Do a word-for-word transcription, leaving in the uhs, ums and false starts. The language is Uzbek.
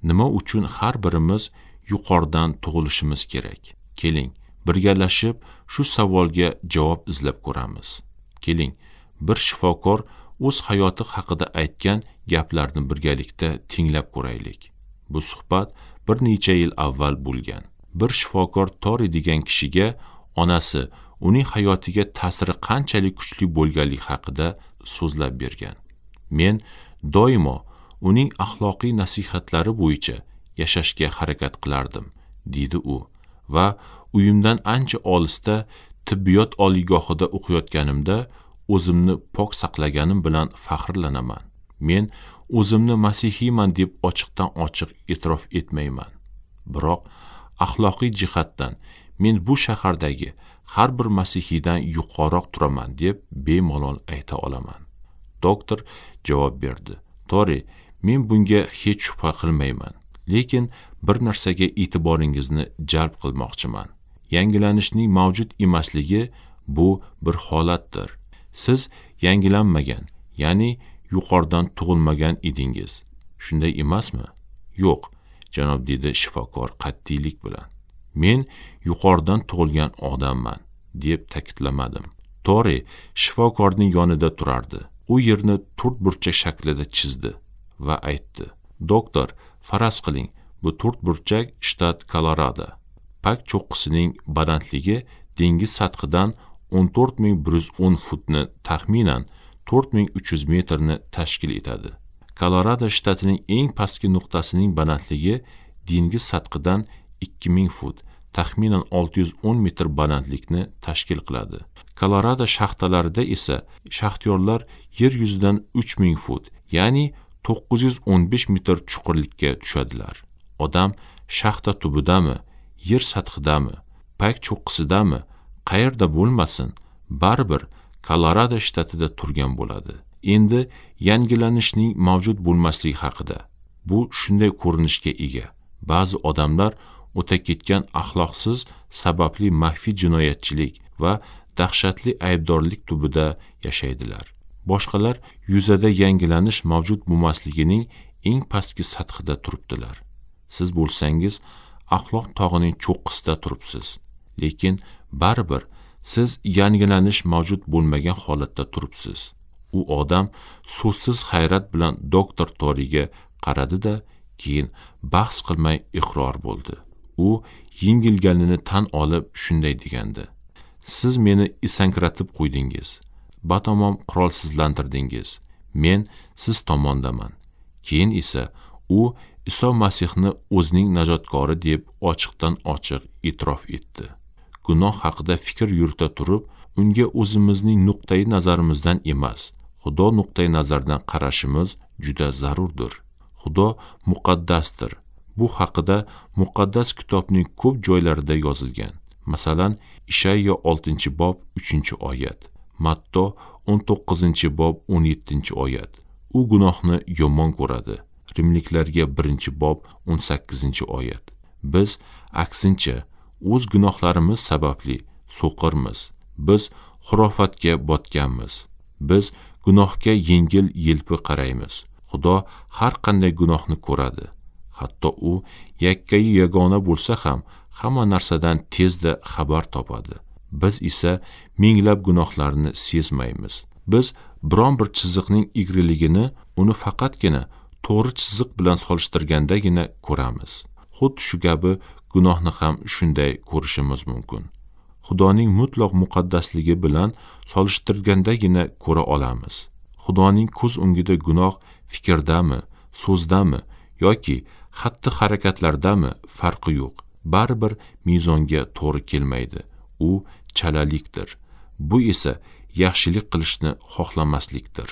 Nima uchun har birimiz yuqoridan tug'ilishimiz kerak? Keling, birgalashib shu savolga javob izlab ko'ramiz. Keling, bir shifokor o'z hayoti haqida aytgan gaplarni birgalikda tinglab ko'raylik. Bu suhbat bir necha yil avval bo'lgan. Bir shifokor Tori degan kishiga onasi uning hayotiga ta'siri qanchalik kuchli bo'lganligi haqida so'zlab bergan. Men doimo uning axloqiy nasihatlari bo'yicha yashashga harakat qilardim, dedi u, va uyimdan ancha olisda tibbiyot oliygohida o'qiyotganimda o'zimni pok saqlaganim bilan faxrlanaman. Men o'zimni masihiyman deb ochiqdan ochiq e'tirof etmayman. Biroq axloqiy jihatdan men bu shahardagi har bir masihiydan yuqoriroq turaman deb bemalol ayta olaman. Doktor javob berdi: Tori, men bunga hech shubha qilmayman, lekin bir narsaga e'tiboringizni jalb qilmoqchiman. Yangilanishning mavjud emasligi bu bir holatdir. Siz yangilanmagan, ya'ni yuqoridan tug'ilmagan edingiz. Shunday emasmi? Yo'q, janob, dedi shifokor qat'iylik bilan. Men yuqoridan tug'ilgan odamman, deb ta'kidlamadim. Tori shifokorning yonida turardi. U yerni to'rt burchak shaklida chizdi va aytdi: Doktor, faraz qiling, bu to'rt burchak shtat Kolorado. Pak cho'qqisining balandligi dengiz sathidan o'n to'rt ming bir yuz o'n futni, taxminan to'rt ming uch yuz metrni tashkil etadi. Kolorado shtatining eng pastki nuqtasining balandligi dengiz sathidan ikki ming fut, taxminan olti yuz o'n metr balandlikni tashkil qiladi. Kolorado shaxtalarida esa shaxtyorlar yer yuzidan uch ming fut, ya'ni to'qqiz yuz o'n besh metr chuqurlikka tushadilar. Odam shaxta tubidami, yer sathidami, pak cho'qqisidami, qayerda bo'lmasin, baribir Kolorado shtatida turgan bo'ladi. Endi yangilanishning mavjud bo'lmasligi haqida. Bu shunday ko'rinishga ega. Ba'zi odamlar o'ta ketgan axloqsiz sababli maxfiy jinoyatchilik va dahshatli aybdorlik tubida yashaydilar. Boshqalar yuzada yangilanish mavjud bo'lmasligining eng pastki sathida turibdilar. Siz bo'lsangiz axloq tog'ining cho'qqisida turibsiz, lekin baribir siz yangilanish mavjud bo'lmagan holatda turibsiz. U odam so'zsiz hayrat bilan doktor Toriga qaradi-da, keyin bahs qilmay iqror bo'ldi. U yengilganini tan olib shunday degandi: Siz meni esankiratib qo'ydingiz, batamom qurolsizlantirdingiz. Men siz tomondaman. Keyin esa u Iso Masihni o'zining najotkori deb ochiqdan ochiq e'tirof etdi. Gunoh haqida fikr yurita turib, unga o'zimizning nuqtai nazarimizdan emas, Xudo nuqtai nazaridan qarashimiz juda zarurdir. Xudo muqaddasdir. Bu haqida muqaddas kitobning ko'p joylarida yozilgan. Masalan, Ishayyo oltinchi bob uchinchi oyat, Matto o'n to'qqizinchi bob o'n yettinchi oyat. U gunohni yomon ko'radi. Rimliklarga birinchi bob o'n sakkizinchi oyat. Biz aksincha o'z gunohlarimiz sababli so'qirmiz. Biz xurofatga botganmiz. Biz gunohga yengil yelpi qaraymiz. Xudo har qanday gunohni ko'radi. Hatto u yakkayu yagona bo'lsa ham hamma narsadan tezda xabar topadi. Biz esa minglab gunohlarni sezmaymiz. Biz biron bir chiziqning egriligini uni faqatgina to'g'ri chiziq bilan solishtirgandagina ko'ramiz. Xuddi shu kabi gunohni ham shunday ko'rishimiz mumkin. Xudoning mutlaq muqaddasligi bilan solishtirgandagina ko'ra olamiz. Xudoning ko'z o'ngida gunoh fikrdami, so'zdami yoki xatti-harakatlardami farqi yo'q. Baribir mezonga to'g'ri kelmaydi. U chalalikdir. Bu esa yaxshilik qilishni xohlamaslikdir.